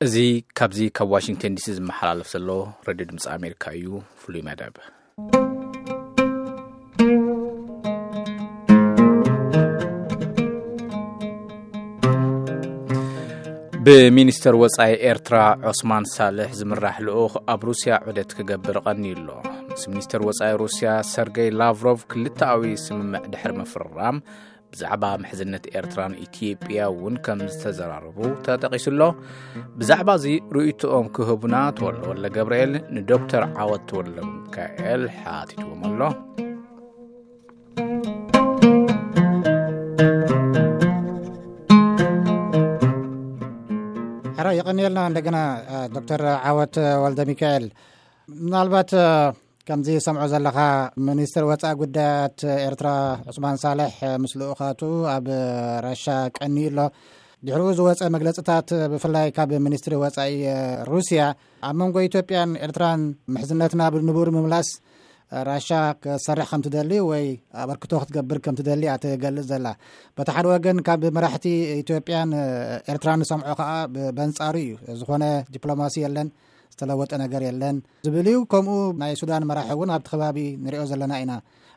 እዚ ካብዚ ካብ ዋሽንግተን ዲሲ ዝመሓላለፍ ዘሎ ሬድዮ ድምፂ ኣሜሪካ እዩ። ፍሉይ መደብ። ብሚኒስተር ወጻኢ ኤርትራ ዑስማን ሳልሕ ዝምራሕ ልኡኽ ኣብ ሩስያ ዑደት ክገብር ቀንዩ ኣሎ። ምስ ሚኒስተር ወጻኢ ሩስያ ሰርገይ ላቭሮቭ ክልተኣዊ ስምምዕ ድሕሪ ምፍርራም፣ ብዛዕባ ምሕዝነት ኤርትራን ኢትዮጵያ እውን ከም ዝተዘራረቡ ተጠቒሱ ኣሎ። ብዛዕባ እዚ ርእይቶኦም ክህቡና ተወልደ ወልደ ገብርኤል ንዶክተር ዓወት ተወልደ ሚካኤል ሓቲትዎም ኣሎ። ሕራይ፣ የቐንየልና እንደገና፣ እ፣ ዶክተር ዓወት ወልደ ሚካኤል። ምናልባት፣ እ፣ ከምዚ ሰምዖ ዘለኻ፣ ሚኒስትር ወፃኢ ጉዳያት ኤርትራ ዑስማን ሳልሕ ምስ ልኡኻቱ ኣብ ራሻ ቀንዩ ኣሎ። ድሕሪኡ ዝወፀ መግለፅታት፣ ብፍላይ ካብ ሚኒስትሪ ወፃኢ ሩስያ፣ ኣብ መንጎ ኢትዮጵያን ኤርትራን ምሕዝነትና ብንቡር ምምላስ ራሻ ክትሰርሕ ከም ትደሊ ወይ ኣበርክቶ ክትገብር ከም ትደሊ እያ ትገልጽ ዘላ። በቲ ሓደ ወገን ካብ መራሕቲ ኢትዮጵያን ኤርትራን ንሰምዖ ከኣ ብ-፣ በንጻሩ እዩ። ዝኾነ ዲፕሎማሲ የለን፣ ዝተለወጠ ነገር የለን ዝብል እዩ። ከምኡ ናይ ሱዳን መራሒ እውን ኣብቲ ከባቢ ንሪኦ ዘለና ኢና፣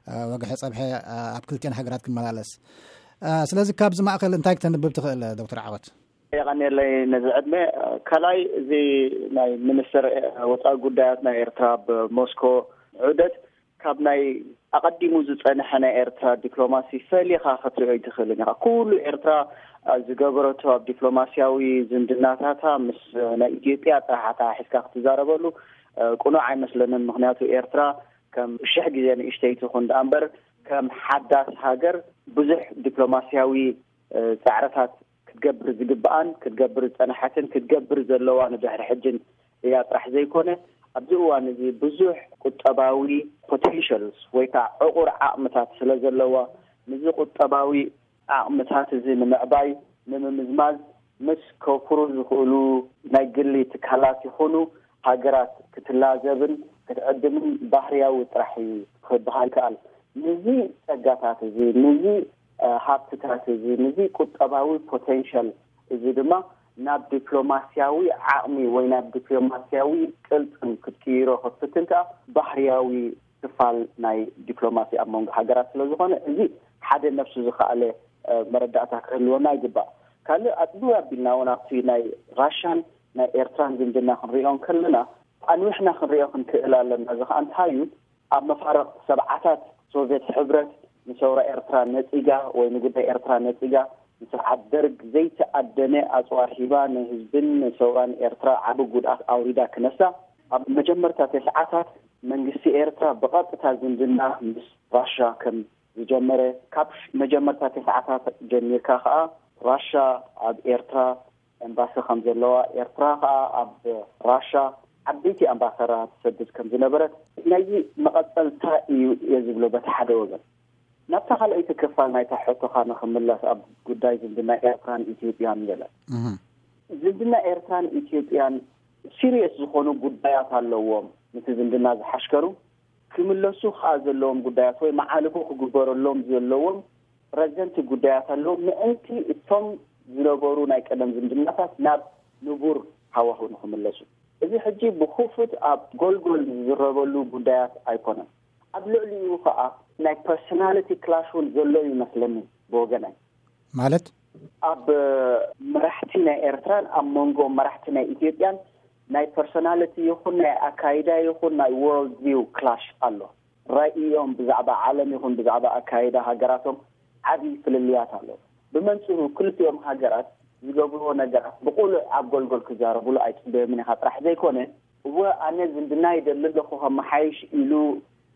እ፣ ወግሐ ጸብሐ፣ እ፣ ኣብ ክልቲኤን ሃገራት ክመላለስ። እ፣ ስለዚ ካብዚ ማእከል እንታይ ክተንብብ ትኽእል ዶክተር ዓወት? የቐንየለይ ነዚ ዕድመ። ካልኣይ፣ እዚ ናይ ሚኒስትር ወፃኢ ጉዳያት ናይ ኤርትራ ኣብ ሞስኮ ዑደት ካብ ናይ ኣቐዲሙ ዝጸንሐ ናይ ኤርትራ ዲፕሎማሲ ፈሊኻ ክትሪኦ ኣይትኽእልን ኢኻ። ኩሉ ኤርትራ፣ አ፣ ዝገበረቶ ኣብ ዲፕሎማሲያዊ ዝምድናታታ ምስ ናይ ኢትዮጵያ ጥራሕ ኣተሓሒዝካ ክትዛረበሉ፣ አ፣ ቅኑዕ ኣይመስለንን። ምኽንያቱ ኤርትራ ከም ሽሕ ግዜ ንእሽተይ ትኹን ደኣ እምበር ከም ሓዳስ ሃገር ብዙሕ ዲፕሎማሲያዊ፣ አ፣ ጻዕርታት ክትገብር ዝግብኣን ክትገብር ዝጸንሐትን ክትገብር ዘለዋ ንድሕሪ ሕጅን እያ ጥራሕ ዘይኮነ፣ ኣብዚ እዋን እዚ ብዙሕ ቁጠባዊ ፖቴንሻልስ ወይ ከዓ ዕቑር ዓቕምታት ስለ ዘለዋ፣ ነዚ ቁጠባዊ ዓቕምታት እዚ ንምዕባይ፣ ንምምዝማዝ፣ ምስ ከውፍሩ ዝኽእሉ ናይ ግሊ ትካላት ይኹኑ ሃገራት ክትላዘብን ክትዕድምን ባህርያዊ ጥራሕ እዩ ክበሃል ይከኣል። ነዚ ጸጋታት እዚ፣ ነዚ፣ እ፣ ሃብትታት እዚ፣ ነዚ ቁጠባዊ ፖቴንሻል እዚ ድማ ናብ ዲፕሎማስያዊ ዓቕሚ ወይ ናብ ዲፕሎማስያዊ ቅልጽም ክትቅይሮ ክትፍትን ከኣ ባህርያዊ ክፋል ናይ ዲፕሎማሲ ኣብ መንጎ ሃገራት ስለ ዝኾነ፣ እዚ ሓደ ነፍሱ ዝኸኣለ፣ እ፣ መረዳእታ ክህልወና ይግባእ። ካልእ ኣጽቢ ኣቢልና እውን ኣብቲ ናይ ራሻን ናይ ኤርትራን ዝምድና ክንሪኦ እንከለና፣ ኣንዊሕና ክንሪኦ ክንክእል ኣለና። እዚ ኸኣ እንታይ እዩ? ኣብ መፋርቕ ሰብዓታት ሶቭየት ሕብረት ንሰውራ ኤርትራ ነጺጋ ወይ ንጉዳይ ኤርትራ ነጺጋ፣ ንስርዓት ደርግ ዘይተኣደነ ኣጽዋር ሂባ ንህዝብን ንሰውራን ኤርትራ ዓቢ ጉድኣት ኣውሪዳ ክነሳ፣ ኣብ መጀመርታ ተስዓታት መንግስቲ ኤርትራ ብቐጥታ ዝምድና ምስ ራሻ ከም ዝጀመረ፣ ካብ መጀመርታ ተስዓታት ጀሚርካ ከኣ ራሻ ኣብ ኤርትራ ኤምባሲ ከም ዘለዋ፣ ኤርትራ ከኣ ኣብ ራሻ ዓበይቲ ኣምባሳደራት ትሰድድ ከም ዝነበረት፣ ናይዚ መቐጸልታ እዩ እየ ዝብሎ በቲ ሓደ ወገን። ናብታ ካልኣይቲ ክፋል ናይታ ሕቶኻ ንኽምለስ፣ ኣብ ጉዳይ ዝምድና ኤርትራን ኢትዮጵያን ገለ። እህ። ዝምድና ኤርትራን ኢትዮጵያን ሲሪየስ ዝኾኑ ጉዳያት ኣለዎም፣ ነቲ ዝምድና ዝሓሽከሩ ክምለሱ ከኣ ዘለዎም ጉዳያት ወይ መዓልቦ ክግበረሎም ዘለዎም ረዘንቲ ጉዳያት ኣለዎም፣ ምእንቲ እቶም ዝነበሩ ናይ ቀደም ዝምድናታት ናብ ንቡር ሃዋህው ንኽምለሱ። እዚ ሕጂ ብኽፉት ኣብ ጎልጎል ዝዝረበሉ ጉዳያት ኣይኮነን። ኣብ ልዕሊኡ ከኣ ናይ ፐርሶናሊቲ ክላሽ እውን ዘሎ ይመስለኒ ብወገናይ። ማለት? ኣብ መራሕቲ ናይ ኤርትራን ኣብ መንጎ መራሕቲ ናይ ኢትዮጵያን ናይ ፐርሶናሊቲ ይኹን ናይ ኣካይዳ ይኹን ናይ ወርልድ ቪው ክላሽ ኣሎ። ራእዮም ብዛዕባ ዓለም ይኹን ብዛዕባ ኣካይዳ ሃገራቶም ዓቢ ፍልልያት ኣሎ። ብመንጽሩ ክልቲኦም ሃገራት ዝገብርዎ ነገራት ብቑሉዕ ኣብ ጎልጎል ክዛረብሉ ኣይጽበዮምን ኢኻ ጥራሕ ዘይኮነ፣ እወ ኣነ ዝምድና ይደሊ ኣለኹ ከመሓይሽ ኢሉ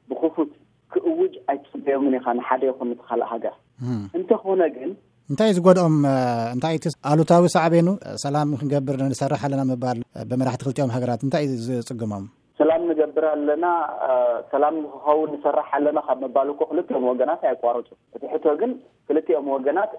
ብኽፉት ክእውጅ ኣይትጽበዮምን ኢኻ ንሓደ ይኹን ንቲ ካልእ ሃገር። እም። እንተኾነ ግን እንታይ እዩ ዝጎድኦም? እ፣ እንታይ እቲ ኣሉታዊ ሳዕቤኑ? ሰላም ክንገብር ንሰርሕ ኣለና ምባል፣ እ፣ ብመራሕቲ ክልቲኦም ሃገራት እንታይ እዩ ዝጽግሞም? ሰላም ንገብር ኣለና፣ እ፣ ሰላም ንክኸውን ንሰርሕ ኣለና ካብ ምባል እኮ ክልቲኦም ወገናት ኣየቋርጹ። እቲ ሕቶ ግን ክልቲኦም ወገናት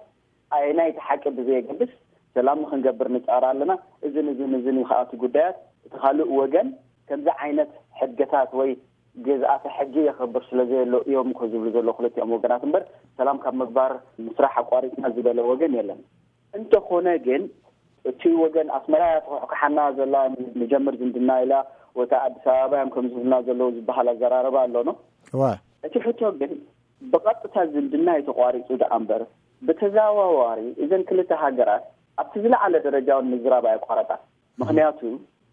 ኣየናይ እቲ ሓቂ ብዘየገድስ ሰላም ንክንገብር ንጻር ኣለና። እዝን እዝን እዝን እዩ ከኣ እቲ ጉዳያት። እቲ ካልእ ወገን ከምዚ ዓይነት ሕገታት ወይ ግዝኣተ ሕጊ የኽብር ስለ ዘየሎ እዮም እኮ ዝብሉ ዘለዉ ክልቲኦም ወገናት እምበር፣ ሰላም ካብ ምግባር ምስራሕ ኣቋሪጽና ዝበለ ወገን የለን። እንተኾነ ግን እቲ ወገን ኣስመራ እያ ትኹሕኩሓና ዘላ፣ ንጀምር ዝምድና ኢላ፣ ወታ ኣዲስ ኣበባ እዮም ከም ዝብሉና ዘለዉ ዝበሃል ኣዘራረባ ኣሎ ነው። እዋ እቲ ሕቶ ግን ብቐጥታ ዝምድና እዩ ተቋሪጹ ደኣ እምበር፣ ብተዘዋዋሪ እዘን ክልተ ሃገራት ኣብቲ ዝለዓለ ደረጃ እውን ምዝራብ ኣየቋረጻን። ምኽንያቱ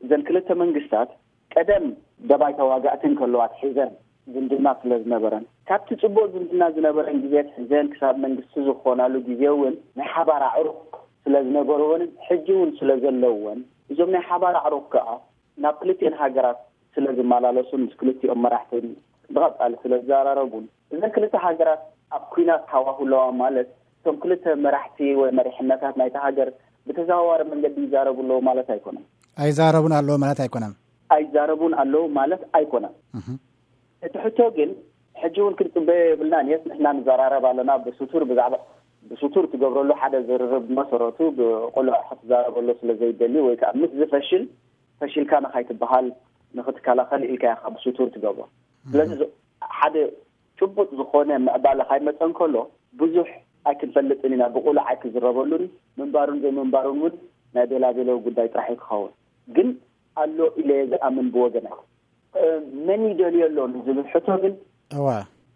እዘን ክልተ መንግስታት ቀደም ደባይ ተዋጋእቲ እንከለዋ ኣትሒዘን ዝምድና ስለ ዝነበረን፣ ካብቲ ጽቡቕ ዝምድና ዝነበረን ግዜ ኣትሒዘን ክሳብ መንግስቲ ዝኾናሉ ግዜ እውን ናይ ሓባር ኣዕሩኽ ስለ ዝነበርወንን ሕጂ እውን ስለ ዘለውወን፣ እዞም ናይ ሓባር ኣዕሩኽ ከኣ ናብ ክልቲኤን ሃገራት ስለ ዝመላለሱን ምስ ክልቲኦም መራሕትን ብቐጻሊ ስለ ዝዘራረቡን፣ እዘን ክልተ ሃገራት ኣብ ኲናት ሃዋሁ ኣለዋ ማለት፣ እቶም ክልተ መራሕቲ ወይ መሪሕነታት ናይታ ሃገር ብተዘዋዋሪ መንገዲ ይዛረቡ ኣለዉ ማለት ኣይኮነን። ኣይዛረቡን ኣለዉ ማለት ኣይኮነን። ኣይዛረቡን ኣለዉ ማለት ኣይኮነን። እህ። እቲ ሕቶ ግን ሕጂ እውን ክንጽበዮ የብልናን። የስ፣ ንሕና ንዘራረብ ኣለና ብስቱር፣ ብዛዕባ ብስቱር ትገብረሉ ሓደ ዝርርብ መሰረቱ ብቕሉዕ ክትዛረበሉ ስለ ዘይደሊ ወይ ከዓ ምስ ዝፈሽል ፈሽልካ ንኻይትበሃል ንኽትከላኸል ኢልካ ኢኻ ብስቱር ትገብሮ። ስለዚ ዝ-፣ ሓደ ጭቡጥ ዝኾነ ምዕባለ ካይመጸ እንከሎ ብዙሕ ኣይክንፈልጥን ኢና፣ ብቕሉዕ ኣይክዝረበሉን፣ ምንባሩን ዘይምንባሩን እውን ናይ ቤላቤሎ ጉዳይ ጥራሕ እዩ ክኸውን። ግን ኣሎ ኢለ እየ ዝኣምን ብወገናይ። እ፣ መን ይደልዮ ኣሎ ንዝብል ሕቶ ግን እዋ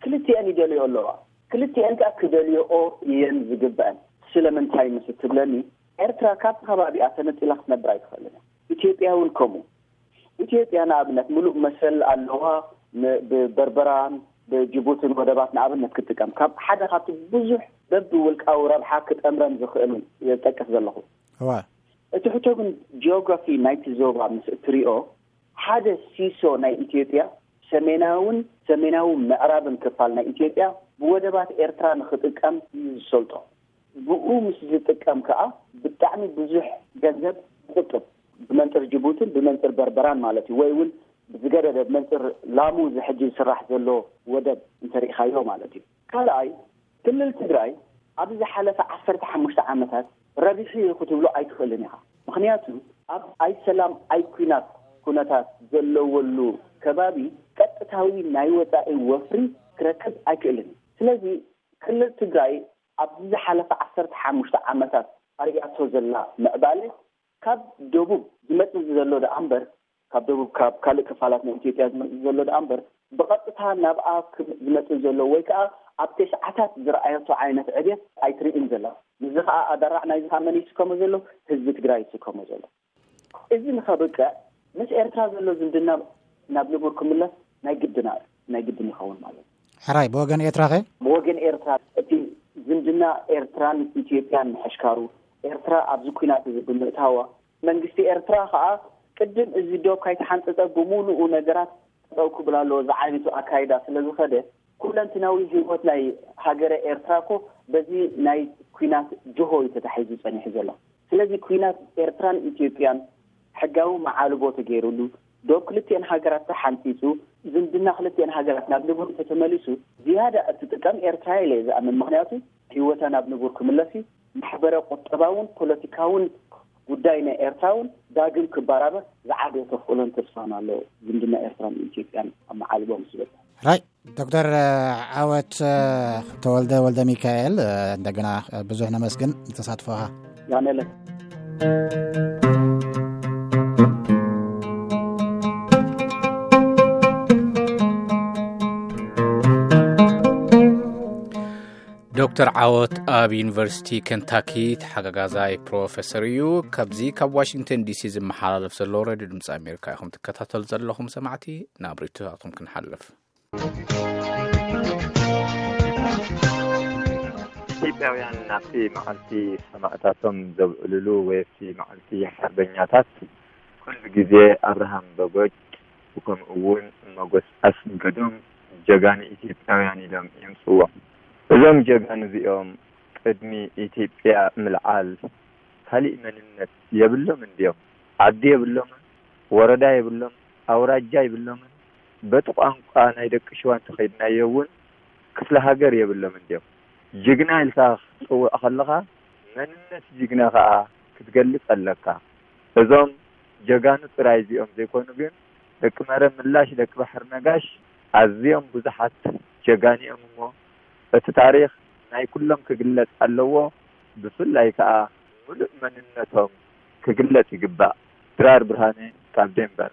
ክልቲኤን ይደልዮ ኣለዋ። ክልቲኤን ከኣ ክደልዮኦ እየን ዝግበአን። ስለምንታይ ምስ እትብለኒ፣ ኤርትራ ካብቲ ከባቢኣ ተነጺላ ክትነብር ኣይትኽእልን እያ። ኢትዮጵያ እውን ከምኡ። ኢትዮጵያ ንኣብነት ምሉእ መሰል ኣለዋ፣ ን-፣ ብበርበራን ብጅቡትን ወደባት ንኣብነት ክትጥቀም። ካብ ሓደ ካብቲ ብዙሕ በብውልቃዊ ረብሓ ክጠምረን ዝኽእል እውን እየ ዝጠቅስ ዘለኹ። እዋ እቲ ሕቶ ግን ጂኦግራፊ ናይቲ ዞባ ምስ እትሪኦ፣ ሓደ ሲሶ ናይ ኢትዮጵያ፣ ሰሜናውን ሰሜናዊ ምዕራብን ክፋል ናይ ኢትዮጵያ ብወደባት ኤርትራ ንኽጥቀም እዩ ዝሰልጦ። ብኡ ምስ ዝጥቀም ከኣ ብጣዕሚ ብዙሕ ገንዘብ ይቑጥብ፣ ብመንጽር ጅቡትን ብመንጽር በርበራን ማለት እዩ። ወይ እውን ብዝገደደ ብመንጽር ላሙ እዚ ሕጂ ዝስራሕ ዘሎ ወደብ እንተሪእኻዮ ማለት እዩ። ካልኣይ፣ ክልል ትግራይ ኣብዚ ዝሓለፈ ዓሰርተ ሓሙሽተ ዓመታት ረቢሑ እዩ ክትብሎ ኣይትኽእልን ኢኻ። ምኽንያቱ ኣብ ኣይ ሰላም ኣይ ኲናት ኩነታት ዘለወሉ ከባቢ ቀጥታዊ ናይ ወጻኢ ወፍሪ ክረክብ ኣይክእልን እዩ። ስለዚ ክልል ትግራይ ኣብዚ ዝሓለፈ ዓሰርተ ሓሙሽተ ዓመታት ኣርእያቶ ዘላ ምዕባለ ካብ ደቡብ ዝመጽእ ዘሎ ደኣ እምበር፣ ካብ ደቡብ፣ ካብ ካልእ ክፋላት ናይ ኢትዮጵያ ዝመጽእ ዘሎ ደኣ እምበር፣ ብቐጥታ ናብኣ ክም-፣ ዝመጽእ ዘሎ ወይ ከኣ ኣብ ተስዓታት ዝረኣየቶ ዓይነት ዕብየት ኣይትርእን ዘላ። ንዚ ከኣ ኣደራዕ ናይዚ ከኣ መን ይስከሞ ዘሎ? ህዝቢ ትግራይ ይስከሞ ዘሎ። እዚ ንኸብቅዕ ምስ ኤርትራ ዘሎ ዝምድና ናብ ንቡር ክምለስ ናይ ግድና፣ ናይ ግድን ይኸውን ማለት እዩ። ሕራይ፣ ብወገን ኤርትራ ኸ? ብወገን ኤርትራ እቲ ዝምድና ኤርትራን ኢትዮጵያን ምሕሽካሩ፣ ኤርትራ ኣብዚ ኲናት እዚ ብምእታዋ፣ መንግስቲ ኤርትራ ኸኣ ቅድም እዚ ዶብ ካይተሓንጸጸ ብምሉኡ ነገራት ጠጠው ክብል ኣለዎ። እዚ ዓይነቱ ኣካይዳ ስለ ዝኸደ፣ ኩለንትናዊ ህይወት ናይ ሃገረ ኤርትራ እኮ በዚ ናይ ኲናት ጅሆ እዩ ተታሒዙ ጸኒሑ ዘሎ። ስለዚ ኲናት ኤርትራን ኢትዮጵያን ሕጋዊ መዓልቦ ተገይሩሉ፣ ዶብ ክልቲኤን ሃገራት ተሓንጺጹ፣ ዝምድና ክልቲኤን ሃገራት ናብ ንቡር እንተተመሊሱ፣ ዝያዳ እትጥቀም ኤርትራ ኢለ እየ ዝኣምን። ምኽንያቱ ህይወታ ናብ ንቡር ክምለስ እዩ። ማሕበረ ቁጠባውን ፖለቲካውን ጉዳይ ናይ ኤርትራ እውን ዳግም ክበራበር ዝዓበየ ተኽእሎን ተስፋን ኣሎ። ዝምድና ኤርትራን ኢትዮጵያን ኣብ መዓልቦ ምስ ዝበጽሐ። ራይ ዶክተር ዓወት ተወልደ ወልደ ሚካኤል፣ እንደገና ብዙሕ ነመስግን ንተሳትፎኻ። ያነለ ዶክተር ዓወት ኣብ ዩኒቨርሲቲ ኬንታኪ ተሓጋጋዛይ ፕሮፌሰር እዩ። ካብዚ ካብ ዋሽንግተን ዲሲ ዝመሓላለፍ ዘሎ ሬድዮ ድምፂ ኣሜሪካ ኢኹም ትከታተሉ ዘለኹም ሰማዕቲ። ናብ ርእይቶታትኩም ክንሓልፍ። ኢትዮጵያውያን ናብቲ መዓልቲ ሰማእታቶም ዘብዕልሉ ወይ ኣብቲ መዓልቲ ሓርበኛታት ኩሉ ግዜ ኣብርሃም በጎጭ፣ ከምኡ እውን መጎስ ኣስገዶም ጀጋኑ ኢትዮጵያውያን ኢሎም የምፅዎም። እዞም ጀጋኑ እዚኦም ቅድሚ ኢትዮጵያ ምልዓል ካሊእ መንነት የብሎም እንድዮም። ዓዲ የብሎምን፣ ወረዳ የብሎም፣ ኣውራጃ የብሎምን። በቲ ቋንቋ ናይ ደቂ ሽዋ እንተኸይድናዮ እውን ክፍለ ሃገር የብሎም እንድዮም። ጅግና ኢልካ ክትፅውዕ ከለኻ መንነት ጅግና ከዓ ክትገልፅ ኣለካ። እዞም ጀጋኑ ጥራይ እዚኦም ዘይኮኑ ግን ደቂ መረብ ምላሽ፣ ደቂ ባሕሪ ነጋሽ ኣዝዮም ብዙሓት ጀጋኑ እዮም እሞ እቲ ታሪኽ ናይ ኩሎም ክግለፅ ኣለዎ። ብፍላይ ከዓ ምሉእ መንነቶም ክግለጽ ይግባእ። ድራር ብርሃነ ካብ ዴንቨር።